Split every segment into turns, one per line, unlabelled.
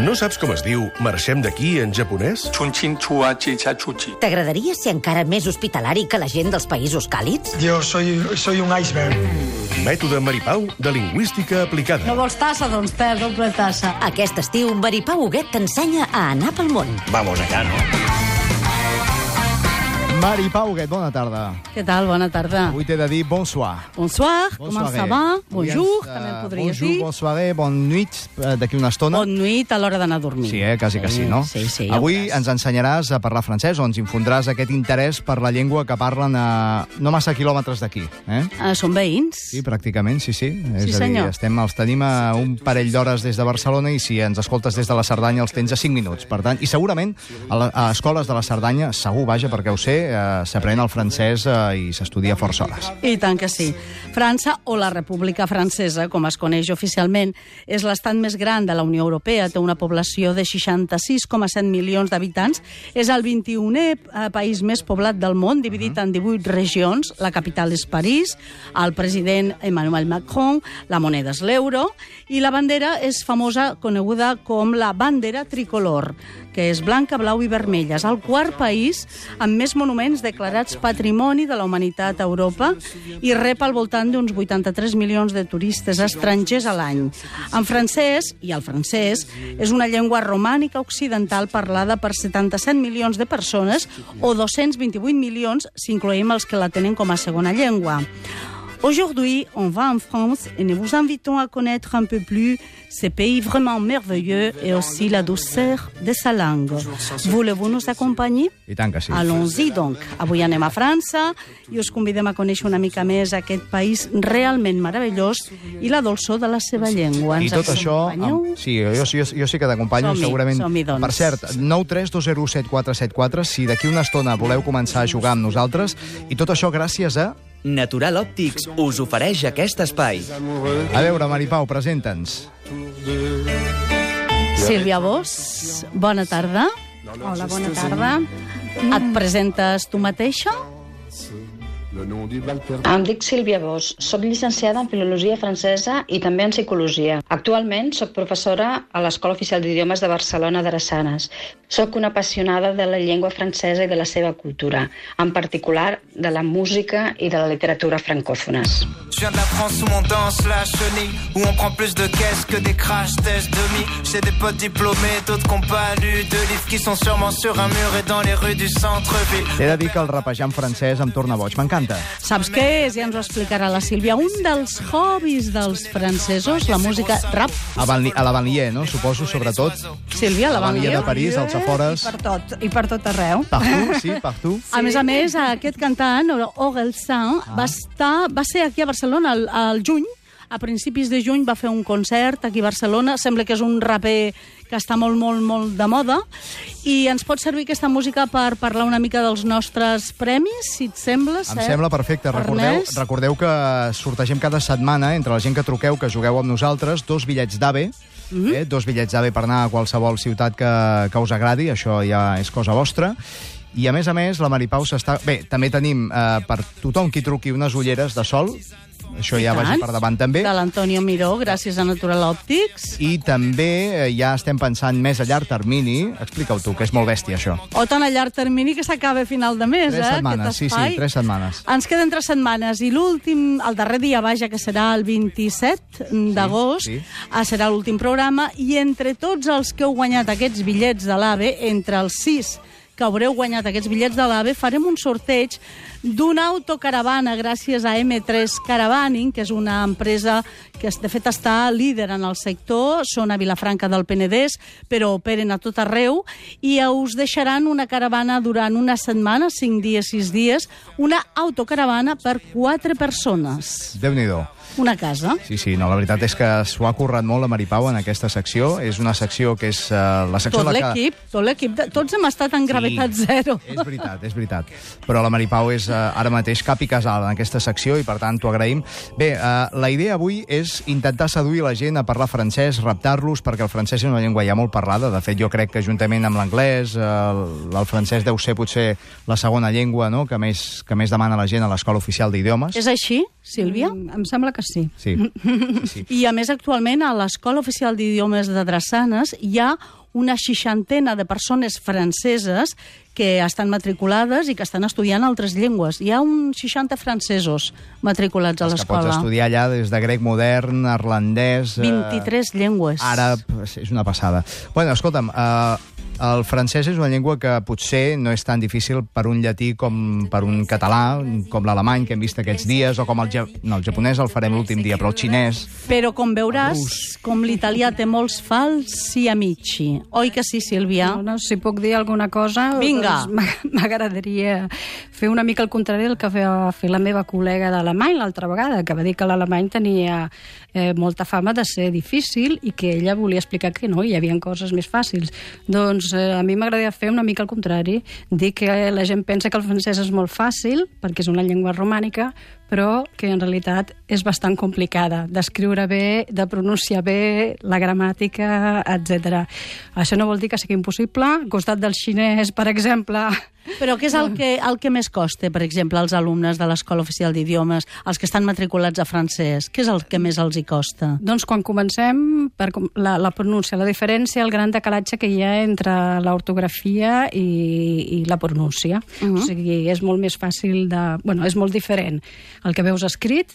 No saps com es diu marxem d'aquí en japonès?
T'agradaria ser encara més hospitalari que la gent dels països càlids?
Yo soy un iceberg.
Mètode Maripau de lingüística aplicada.
No vols tassa? Doncs té doble tassa.
Aquest estiu, Maripau Huguet t'ensenya a anar pel món.
Vamos allá, no?
Maripau Huguet, bona tarda.
Què tal? Bona tarda.
Avui t'he de dir bonsoir.
Bonsoir, comment ça va? Bonjour, també en podries dir.
Bonjour, bonsoir, bonne nuit, d'aquí una estona.
Bonne nuit a l'hora d'anar a dormir.
Sí, quasi que sí, no?
Sí, sí.
Avui ens ensenyaràs a parlar francès, o ens infondràs aquest interès per la llengua que parlen a no massa quilòmetres d'aquí.
Són veïns?
Sí, pràcticament, sí.
Sí,
És a dir,
senyor.
els tenim a un parell d'hores des de Barcelona i si ens escoltes des de la Cerdanya els tens a 5 minuts. Per tant, i segurament a escoles de la Cerdanya, segur, vaja, perquè ho sé, s'aprèn el francès i s'estudia força hores.
I tant que sí. França, o la República Francesa, com es coneix oficialment, és l'estat més gran de la Unió Europea, té una població de 66,7 milions d'habitants, és el 21è país més poblat del món, dividit en 18 regions, la capital és París, el president Emmanuel Macron, la moneda és l'euro, i la bandera és famosa, coneguda com la bandera tricolor, que és blanca, blau i vermella. És el quart país amb més monuments declarats Patrimoni de la Humanitat a Europa i rep al voltant d'uns 83 milions de turistes estrangers a l'any. En francès, i el francès, és una llengua romànica occidental parlada per 77 milions de persones o 228 milions si incloem els que la tenen com a segona llengua. Aujourd'hui, on va en France et nous vous invitons à connaître un peu plus ce pays vraiment merveilleux et aussi la douceur de sa langue. Voulez-vous nous accompagner?
I tant que sí.
Allons-y, donc. Avui anem a França i us convidem a conèixer una mica més aquest país realment meravellós i la dolçor de la seva llengua.
I tot això... Sí, jo sí que t'acompanyo, segurament.
Som-hi, doncs.
Per cert, 932017474, si d'aquí una estona voleu començar a jugar amb nosaltres, i tot això gràcies a...
Natural Òptics us ofereix aquest espai.
A veure, Maripau, presenta'ns.
Sílvia Bosch, bona tarda.
Hola, bona tarda.
Et presentes tu mateixa?
Em dic Sílvia Bosch, soc llicenciada en Filologia Francesa i també en Psicologia. Actualment soc professora a l'Escola Oficial d'Idiomes de Barcelona d'Arassanes. Soc una apassionada de la llengua francesa i de la seva cultura, en particular de la música i de la literatura francòfones.
Je viens de la France où on danse la chenille, où on prend plus de caisses que des crash tests demi. J'ai des potes diplômés, d'autres qui n'ont pas lu de livres qui sont sûrement sur un mur et dans les rues du centre-ville.
He de dir que el rapejar en francès em torna boig, m'encanta.
Saps què és? Ja ens ho explicarà la Sílvia. Un dels hobbies dels francesos, la música rap.
A la Banlieue, no? Suposo, sobretot.
Sílvia, la
Banlieue de París, als afores.
I per tot arreu.
Partout, sí, partout.
A més, aquest cantant, Orelsan, va ser aquí a Barcelona al juny. A principis de juny va fer un concert aquí a Barcelona. Sembla que és un raper que està molt, molt, molt de moda. I ens pot servir aquesta música per parlar una mica dels nostres premis, si et sembla,
Em sembla perfecte. Recordeu que sortegem cada setmana, entre la gent que truqueu, que jugueu amb nosaltres, 2 bitllets d'AVE, 2 bitllets d'AVE per anar a qualsevol ciutat que us agradi, això ja és cosa vostra. I, a més, la Maripau s'està... Bé, també tenim per tothom qui truqui unes ulleres de sol, això ja vagi per davant també.
De l'Antonio Miró, gràcies a Natural Òptics.
I també ja estem pensant més a llarg termini, explica-ho tu, que és molt bèstia això.
O tan a llarg termini que s'acaba a final de mes,
3 setmanes, sí, 3 setmanes.
Ens queden 3 setmanes i l'últim, el darrer dia, vaja, que serà el 27 d'agost, serà l'últim programa, i entre tots els que heu guanyat aquests bitllets de l'AVE, entre els 6 que haureu guanyat aquests bitllets de l'AVE, farem un sorteig d'una autocaravana gràcies a M3 Caravaning, que és una empresa que de fet està líder en el sector, són a Vilafranca del Penedès, però operen a tot arreu, i us deixaran una caravana durant una setmana, 5 dies, 6 dies, una autocaravana per 4 persones.
Déu-n'hi-do.
Una casa.
Sí, no, la veritat és que s'ho ha currat molt la Maripau en aquesta secció. És una secció que és la secció...
Tot l'equip, tots hem estat en gravetat zero.
És veritat. Però la Maripau és ara mateix cap i casal en aquesta secció i, per tant, t'ho agraïm. Bé, la idea avui és intentar seduir la gent a parlar francès, reptar-los, perquè el francès és una llengua ja molt parlada. De fet, jo crec que juntament amb l'anglès, el francès deu ser potser la segona llengua, no?, que més demana la gent a l'Escola Oficial d'Idiomes.
És així, Sílvia?
Em sembla que sí.
Sí. Sí.
I, a més, actualment, a l'Escola Oficial d'Idiomes de Drassanes hi ha una 60 de persones franceses que estan matriculades i que estan estudiant altres llengües. Hi ha uns 60 francesos matriculats a l'escola.
Que pots estudiar allà des de grec modern, irlandès...
23 llengües.
Àrab, és una passada. Bueno, escolta'm, el francès és una llengua que potser no és tan difícil per un llatí com per un català, com l'alemany que hem vist aquests dies, o com el japonès el farem l'últim dia, però el xinès...
Però, com veuràs, com l'italià té molts falsi amici. Oi que sí, Sílvia?
No, si puc dir alguna cosa...
Vinga!
Doncs m'agradaria fer una mica el contrari del que va fer la meva col·lega d'alemany l'altra vegada, que va dir que l'alemany tenia molta fama de ser difícil i que ella volia explicar que no, hi havia coses més fàcils. Doncs a mi m'agradaria fer una mica el contrari, dir que la gent pensa que el francès és molt fàcil, perquè és una llengua romànica, però que en realitat és bastant complicada d'escriure bé, de pronunciar bé, la gramàtica, etc. Això no vol dir que sigui impossible. Al costat del xinès, per exemple...
Però què és el que més costa, per exemple, als alumnes de l'Escola Oficial d'Idiomes, els que estan matriculats a francès? Què és el que més els hi costa?
Doncs quan comencem, la pronúncia, la diferència, el gran decalatge que hi ha entre l'ortografia i la pronúncia. O sigui, és molt més fàcil de... Bueno, és molt diferent el que veus escrit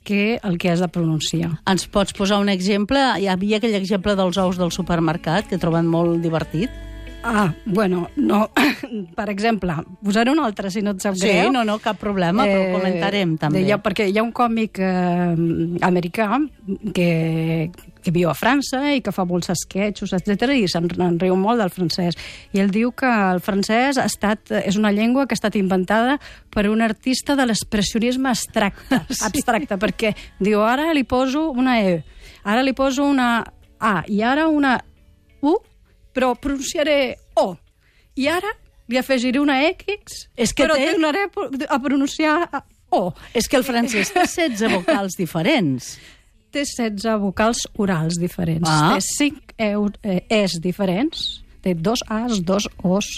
que el que has de pronunciar.
Ens pots posar un exemple? Hi havia aquell exemple dels ous del supermercat, que he trobat molt divertit.
Bueno, no. Per exemple, posaré un altre, si no et sap greu.
Sí, no, cap problema, però ho comentarem, també.
Perquè hi ha un còmic americà que viu a França i que fa molts esquetxos, etc., i se'n riu molt del francès. I ell diu que el francès és una llengua que ha estat inventada per un artista de l'expressionisme abstracte, perquè diu, ara li poso una E, ara li poso una A, i ara una U, però pronunciaré O. I ara li afegiré una X, però tornaré a pronunciar O.
És que el francès té 16 vocals diferents.
Té 16 vocals orals diferents. Té 5 Es diferents. Té 2 As, 2 Os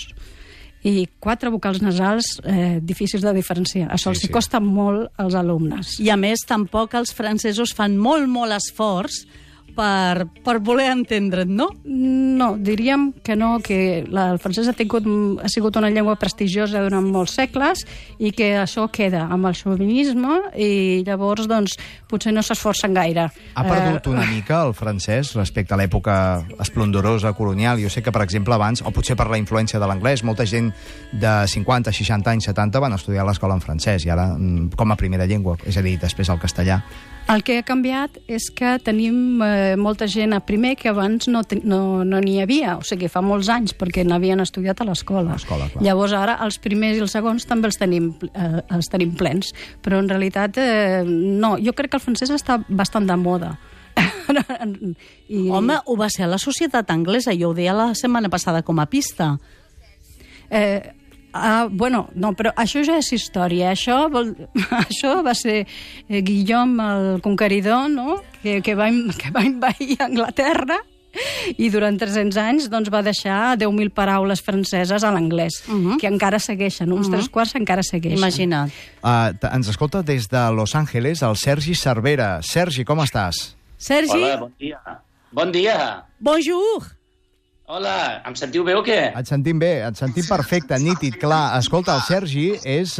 i 4 vocals nasals difícils de diferenciar. Això els costa molt als alumnes.
I a més, tampoc els francesos fan molt esforç per voler entendre't, no?
No, diríem que no, que el francès ha sigut una llengua prestigiosa durant molts segles i que això queda amb el xovinisme i llavors, doncs, potser no s'esforcen gaire.
Ha perdut una mica el francès respecte a l'època esplendorosa colonial. Jo sé que, per exemple, abans, o potser per la influència de l'anglès, molta gent de 50, 60 anys, 70 van estudiar a l'escola en francès i ara com a primera llengua, és a dir, després el castellà.
El que ha canviat és que tenim molta gent a primer que abans no n'hi havia, o sigui, fa molts anys, perquè n'havien estudiat a l'escola. Llavors ara els primers i els segons també els tenim plens, però en realitat no, jo crec que el francès està bastant de moda.
Home, ho va ser a la societat anglesa, jo ho deia la setmana passada com a pista.
Bueno, no, però això ja és història. Això va ser Guillaume el Conqueridor, no? que va envair Anglaterra i durant 300 anys doncs, va deixar 10.000 paraules franceses a l'anglès, que encara segueixen, uns 3/4 encara segueixen.
Imagina't.
Ens escolta des de Los Angeles el Sergi Cervera. Sergi, com estàs?
Sergi?
Hola, bon dia. Bon dia.
Bonjour.
Hola, em sentiu bé o què?
Et sentim bé, et sentim perfecte, nítid, clar. Escolta, el Sergi és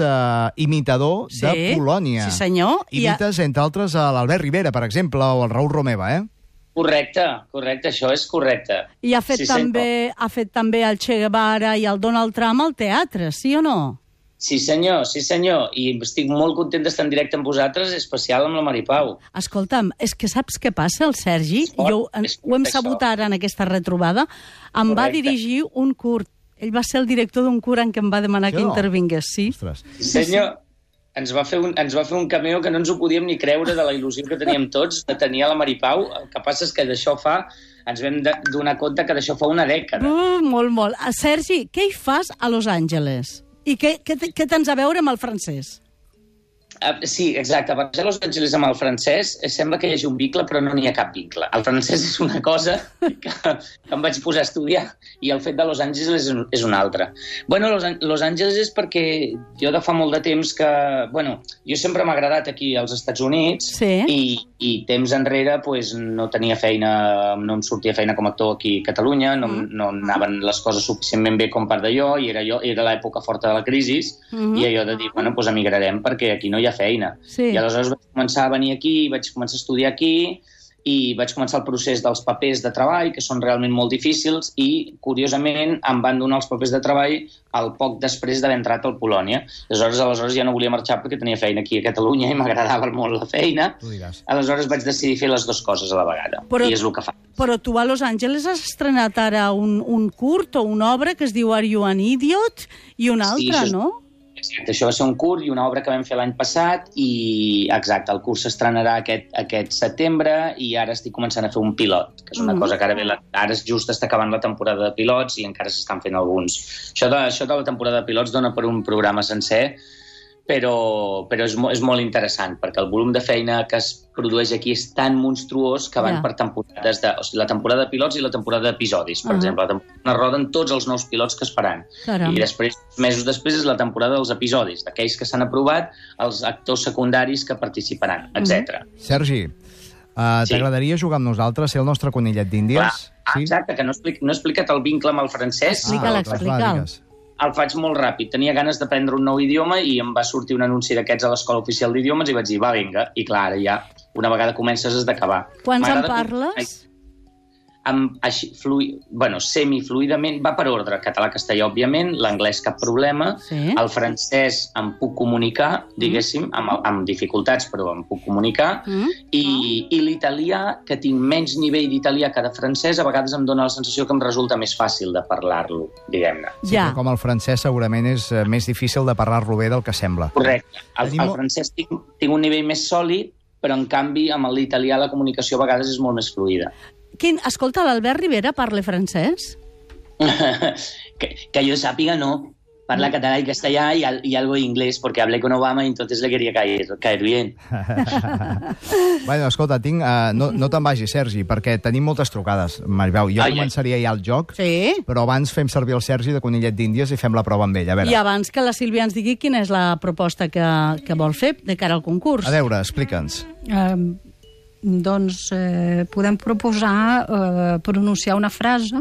imitador de Polònia.
Sí, senyor.
Imites, entre altres, l'Albert Rivera, per exemple, o el Raül Romeva,
Correcte, això és correcte.
I ha fet també el Che Guevara i el Donald Trump al teatre, sí o no?
Sí, senyor. I estic molt content d'estar en directe amb vosaltres, especial amb la Maripau.
Escolta'm, és que saps què passa, el Sergi? Ho hem sabut ara en aquesta retrobada. Em va dirigir un curt. Ell va ser el director d'un curt en què em va demanar que intervingués, sí.
Sí, senyor. Ens va fer un cameo que no ens ho podíem ni creure de la il·lusió que teníem tots de tenir a la Maripau. El que passa és que d'això ens vam donar compte que d'això fa una dècada.
Molt. Sergi, què hi fas a Los Angeles? I què tens a veure amb el francès?
Sí, exacte. Barrejar Los Angeles amb el francès sembla que hi hagi un vincle, però no n'hi ha cap vincle. El francès és una cosa que em vaig posar a estudiar i el fet de Los Angeles és una altra. Bueno, Los Angeles és perquè jo de fa molt de temps que... Bueno, jo sempre m'ha agradat aquí als Estats Units i temps enrere pues, no tenia feina, no em sortia feina com a actor aquí a Catalunya, no anaven les coses suficientment bé com per d'allò i era l'època forta de la crisi i allò de dir, bueno, pues emigrarem perquè aquí no hi ha feina. I aleshores vaig començar a venir aquí, vaig començar a estudiar aquí i vaig començar el procés dels papers de treball, que són realment molt difícils, i, curiosament, em van donar els papers de treball al poc després d'haver entrat al Polònia. Aleshores ja no volia marxar perquè tenia feina aquí a Catalunya i m'agradava molt la feina. Aleshores vaig decidir fer les dues coses a la vegada, i és el que fa.
Però tu a Los Angeles has estrenat ara un curt o una obra que es diu Are You an Idiot? I una altra, no?
Exacte, això va ser un curt i una obra que vam fer l'any passat i, exacte, el curs s'estrenarà aquest setembre i ara estic començant a fer un pilot, que és una cosa que ara just està acabant la temporada de pilots i encara s'estan fent alguns. Això de la temporada de pilots dona per un programa sencer, però és molt interessant, perquè el volum de feina que es produeix aquí és tan monstruós que van per temporades o sigui, la temporada de pilots i la temporada d'episodis, per exemple. La temporada roden tots els nous pilots que es faran. I després, mesos després, és la temporada dels episodis, d'aquells que s'han aprovat, els actors secundaris que participaran, etc.
Sergi, t'agradaria jugar amb nosaltres, ser el nostre conillet d'Índies?
Exacte, que no he explicat el vincle amb el francès.
Explica'l.
El faig molt ràpid. Tenia ganes d'aprendre un nou idioma i em va sortir un anunci d'aquests a l'Escola Oficial d'Idiomes i vaig dir, va, vinga. I clar, ara ja, una vegada comences has d'acabar.
Quants en parles?
Semifluidament, va per ordre, català-castellà, òbviament, l'anglès cap problema, el francès em puc comunicar, diguéssim, amb dificultats, però em puc comunicar, i l'italià, que tinc menys nivell d'italià que de francès, a vegades em dona la sensació que em resulta més fàcil de parlar-lo, diguem-ne.
Sí, però com el francès segurament és més difícil de parlar-lo bé del que sembla.
Correcte. El francès tinc un nivell més sòlid, però en canvi amb l'italià la comunicació a vegades és molt més fluida.
Escolta, l'Albert Rivera parla francès?
Que yo sàpiga, no. Parla català i castellà y algo de inglés, porque hablé con Obama y entonces le quería caer bien.
Bueno, escolta, no te'n vagis, Sergi, perquè tenim moltes trucades. Maribel, jo començaria ja el joc, però abans fem servir el Sergi de conillet d'Índies i fem la prova amb ell.
I abans que la Sílvia ens digui quina és la proposta que vol fer de cara al concurs.
A veure, explica'ns.
Doncs podem proposar pronunciar una frase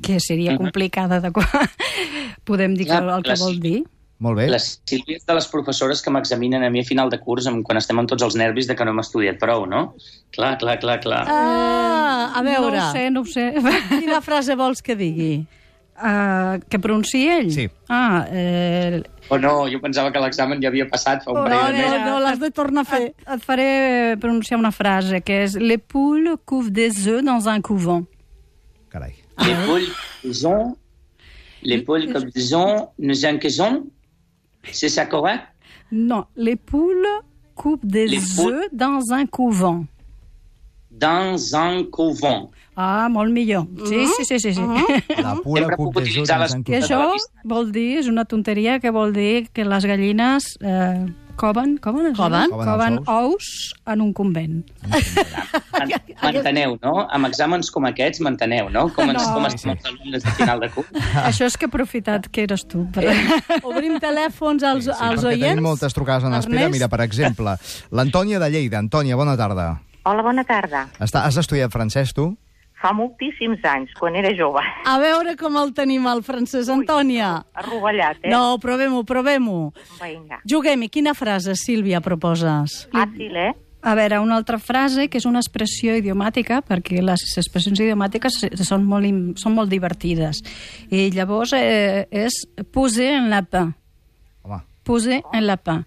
que seria complicada de... Podem dir el que vol dir.
Molt bé.
La Sílvia és de les professores que m'examinen a mi a final de curs quan estem amb tots els nervis de que no hem estudiat prou, no? Clar.
A veure...
No ho sé.
Quina frase vols que digui?
Que pronunciï ell?
Sí.
No, jo pensava que l'examen ja havia passat fa un parell de mesos.
No, l'has de tornar a fer.
Et faré pronunciar una frase, que és Les poules couvent des œufs dans un couvent.
Carai.
Les poules couvent des œufs dans un couvent? C'est ça correct?
Non, les poules couvent des œufs dans un couvent.
Dans un couvent.
Molt millor. Sí.
La pura cup de œufs dans un
couvent. I això vol dir, és una tonteria, que vol dir que les gallines coven ous en un convent.
M'enteneu, no? Amb exàmens com aquests, m'enteneu, no? Com estem els alumnes de final de curs.
Això és que he aprofitat que eres tu.
Obrim telèfons als oients.
Tenim moltes trucades en espera. Mira, per exemple, l'Antònia de Lleida. Antònia, bona tarda.
Hola, bona tarda.
Has estudiat francès, tu?
Fa moltíssims anys, quan era jove.
A veure com el tenim, el francès, Antònia.
Arrovellat,
No, provem-ho.
Vinga.
Juguem-hi. Quina frase, Sílvia, proposes?
Fàcil,
A veure, una altra frase, que és una expressió idiomàtica, perquè les expressions idiomàtiques són molt divertides. I llavors és poser un lapin.
Home.
Poser un lapin.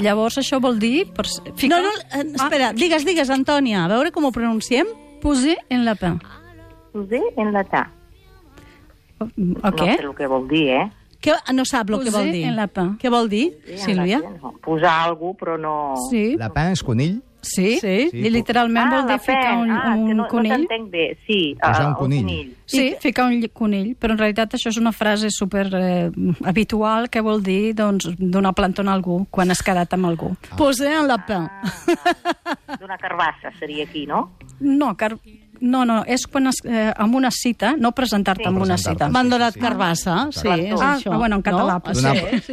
Llavors això vol dir...
Espera, digues, Antònia, a veure com ho pronunciem.
Poser un lapin.
Poser un lapin.
O què?
No sé el que vol dir,
No sap el que vol dir.
Poser un lapin.
Què vol dir, Sílvia?
Posar alguna cosa, però no...
Sí.
Lapin és conill?
Sí, literalment vol dir ficar un conill.
No t'entenc bé, sí.
Posar un conill.
Sí, ficar un conill, però en realitat això és una frase super habitual que vol dir donar plantón a algú quan has quedat amb algú.
Poser un lapin.
D'una carbassa seria aquí, no?
No, és quan amb una cita, no presentar-te amb una cita.
M'han donat carbassa, sí, és això.
Bueno, en català.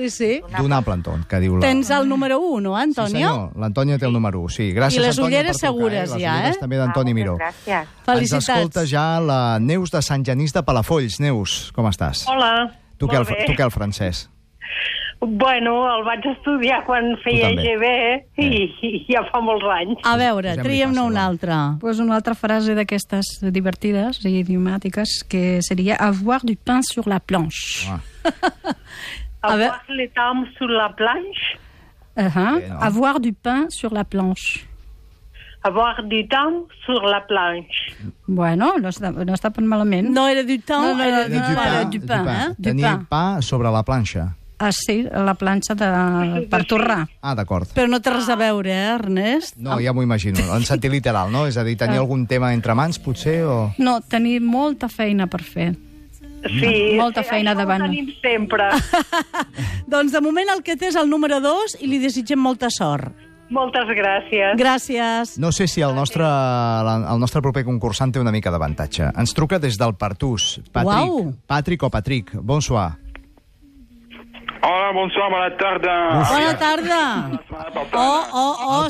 Sí.
Donar plantón, que diu la...
Tens el número 1, no, Antonio?
Sí, senyor, l'Antonio té el número 1, sí. Gràcies,
I les
Antonio,
ulleres
per trucar,
segures, ja,
Les ulleres també d'Antoni Miró.
Gràcies.
Ens
Felicitats.
escolta ja la Neus de Sant Genís de Palafolls. Neus, com estàs?
Hola,
Tu què, el francès?
Bueno, el vaig estudiar quan feia EGB i ja fa molts anys.
A veure, triem-ne una altra.
Pues una altra frase d'aquestes divertides i idiomàtiques que seria avoir du pain sur la planche.
Avoir le temps sur la planche?
Avoir du pain sur la planche.
Avoir du temps sur la planche.
Bueno, no està tan malament.
No era du temps, era
du pain. Tenir pa sobre la planxa.
Sí, la planxa per torrar.
D'acord.
Però no té res a veure, Ernest?
No, ja m'ho imagino. En sentit literal, no? És a dir, tenir algun tema entre mans, potser, o...
No, tenir molta feina per fer.
Sí,
molta feina davant.
Això ho tenim sempre.
Doncs de moment el que té és el número 2 i li desitgem molta sort.
Moltes gràcies.
Gràcies.
No sé si el nostre proper concursant té una mica d'avantatge. Ens truca des del Pertús. Patrick o Patrick, bonsoir.
Hola, bonsoir, bona tarda.
Bona tarda.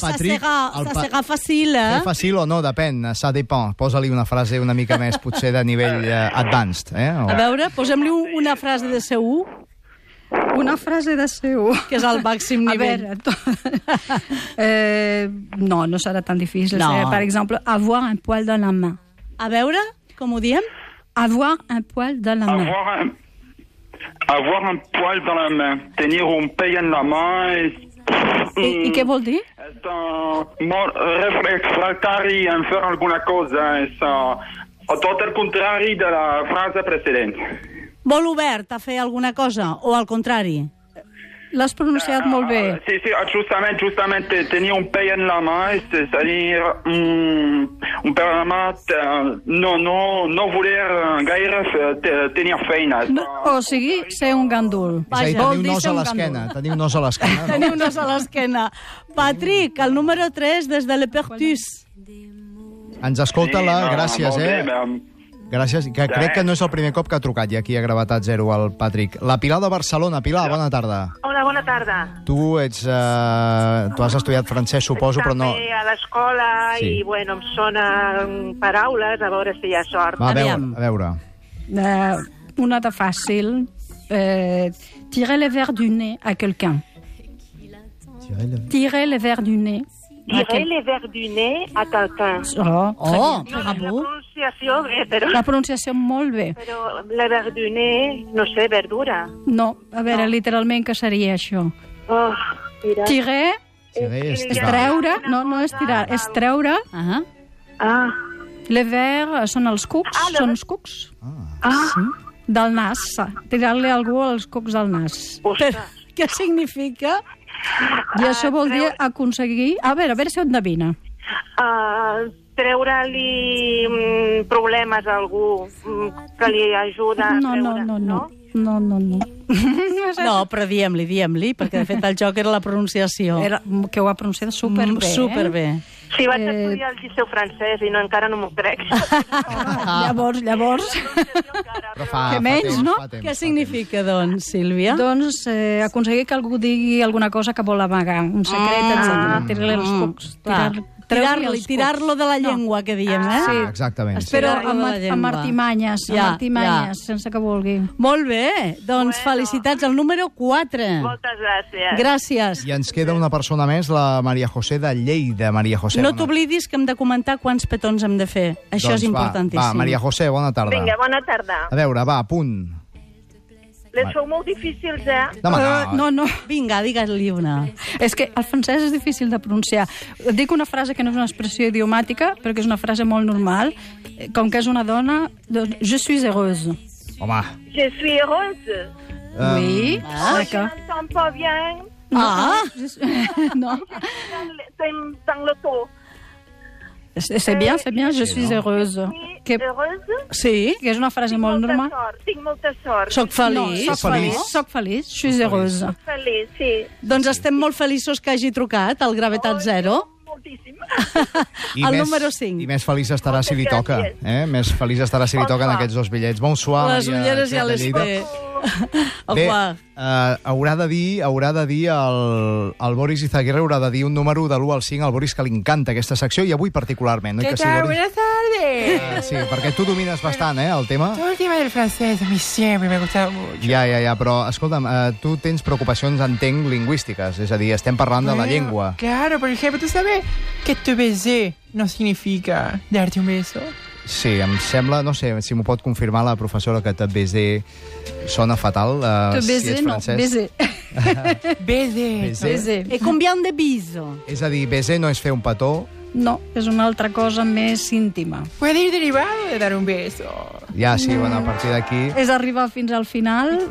Ça sera facile, eh?
És fàcil o no, depèn, ça dépend. Posa-li una frase una mica més, potser de nivell advanced, eh?
A veure, posem-li una frase de C1.
Una frase de C1.
Que és el màxim nivell.
A veure, no serà tan difícil. Per exemple, avoir un poil dans la main.
A veure, com ho diem?
Avoir un poil dans la main.
Avoir un poil dans la main, tenir un pell en la main...
I què vol dir?
És molt refractari en fer alguna cosa, és tot el contrari de la frase precedent.
Molt obert a fer alguna cosa, o al contrari?
L'has pronunciat molt bé.
Sí, justament, tenir un pell en la mà, és a dir, un pell en la mà, no voler gaire tenir feina.
O sigui, ser un gandul.
És a dir, tenir un nos a l'esquena.
Tenir un nos a l'esquena. Patrick, el número 3 des de Le Pertús.
Ens escolta gràcies, Gràcies, que crec que no és el primer cop que ha trucat i aquí a Gravetat Zero el Patrick. La Pilar de Barcelona. Pilar, bona tarda.
Hola, bona tarda.
Tu has estudiat francès, suposo, però no...
També a l'escola i, bueno, em sonen paraules, a veure si hi ha sort.
Va, a veure.
Una de fàcil. Tirer le verre du nez a quelqu'un. Tirer le verre du nez.
Tirer le verre du nez a quelqu'un.
Bravo.
La pronunciació bé, però...
La pronunciació molt bé.
Però le verre du nez, no sé, verdura.
No, a veure, literalment què seria això? Tirer és treure, no és tirar, és treure. Le verre són els cucs, són els cucs. Del nas, tirar-li a algú els cucs del nas.
Què significa?
I això vol dir aconseguir... A veure si ho endevina.
Treure-li problemes a algú que li ajuda a treure...
No.
No, però diem-li, perquè de fet el joc era la pronunciació.
Que ho ha pronunciat superbé.
Superbé.
Sí, vaig estudiar el liceu francès i encara no m'ho crec.
Llavors...
Que
menys, no?
Què significa, doncs, Sílvia?
Doncs aconseguir que algú digui alguna cosa que vol amagar, un secret, etc. Tirar-li els cucs.
Tirar-lo de la llengua, que diem, eh?
Sí, exactament.
Però amb artimanyes, sense que vulgui.
Molt bé, doncs felicitats al número 4.
Moltes gràcies.
Gràcies.
I ens queda una persona més, la Maria José de Lleida. Maria José,
no t'oblidis que hem de comentar quants petons hem de fer. Això és importantíssim.
Va, Maria José, bona tarda.
Vinga, bona tarda.
A veure, va, punt.
Les sou molt difícils, eh?
No.
Vinga, digue-li una.
És que el francès és difícil de pronunciar. Dic una frase que no és una expressió idiomàtica, però que és una frase molt normal. Com que és una dona, doncs, je suis heureuse.
Home.
Je suis heureuse.
Oui.
Je n'entends pas bien.
Ah!
Non.
Dans le taux.
C'est bien, je suis heureuse.
Heureuse?
Sí, que és una frase molt normal.
Tinc molta sort.
Soc feliç.
Soc feliç, je suis heureuse.
Soc feliç, sí.
Doncs estem molt feliços que hagi trucat al Gravetat Zero.
Moltíssim.
El número 5.
I més feliç estarà si li toca. Més feliç estarà si li toquen aquests 2 bitllets. Bonsoir,
Les ulleres ja les té.
Bé, haurà de dir el Boris Izaguirre haurà de dir un número de l'1 al 5 al Boris, que li encanta aquesta secció, i avui particularment.
¿Qué tal? Buenas tardes.
Sí, perquè tu domines bastant, el tema.
Todo el tema del francés, a mí siempre me ha gustado mucho.
Ja, però, escolta'm, tu tens preocupacions, entenc, lingüístiques, és a dir, estem parlant de la llengua.
Claro, por ejemplo, ¿tú sabes que te besé no significa darte un beso?
Sí, em sembla, no sé, si m'ho pot confirmar la professora, que te baiser sona fatal, si ets francès.
Baiser.
Et combien de biso?
És a dir, baiser no és fer un petó.
No, és una altra cosa més íntima.
Puede ir derivado de dar un beso.
Ja, sí, bueno, a partir d'aquí...
És arribar fins al final,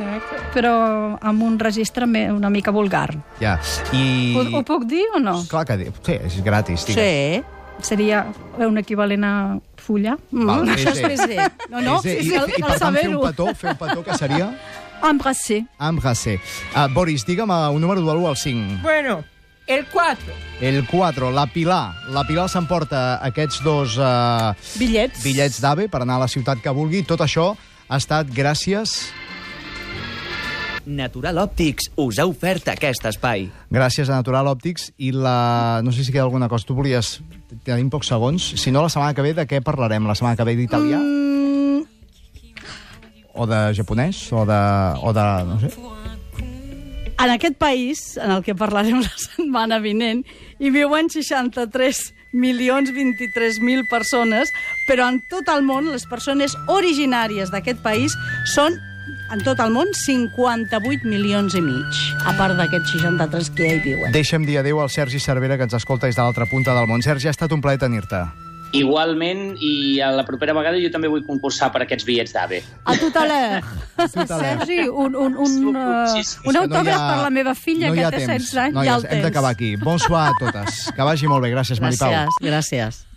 però amb un registre una mica vulgar.
Ja, i...
Ho puc dir o no?
Clar que sí, és gratis.
Sí.
Seria un equivalent a fulla.
Això és baiser. No,
I per tant, fer un petó, què seria?
Embrasser.
Boris, digue'm un número de l'1 al 5.
Bueno, el 4.
El 4, la Pilar. La Pilar s'emporta aquests 2 bitllets d'AVE per anar a la ciutat que vulgui. Tot això ha estat gràcies...
Natural Òptics us ha ofert aquest espai.
Gràcies a Natural Òptics i la... No sé si queda alguna cosa. Tu volies... Tenim pocs segons. Si no, la setmana que ve de què parlarem? La setmana que ve d'italià? O de japonès? O de... no sé.
En aquest país, en el que parlarem la setmana vinent, hi viuen 63.023.000 persones, però en tot el món les persones originàries d'aquest país són, en tot el món, 58 milions i mig, a part d'aquests 63 que ja hi viuen.
Deixa'm dir adéu al Sergi Cervera, que ens escolta des de l'altra punta del món. Sergi, ha estat un plaer tenir-te.
Igualment, i a la propera vegada jo també vull concursar per aquests bitllets d'AVE.
A tot a l'heure.
Sergi, un autògraf per la meva filla, que té 16 anys.
Noies, hem d'acabar aquí. Bonsoir a totes. Que vagi molt bé. Gràcies, Maripau.
Gràcies.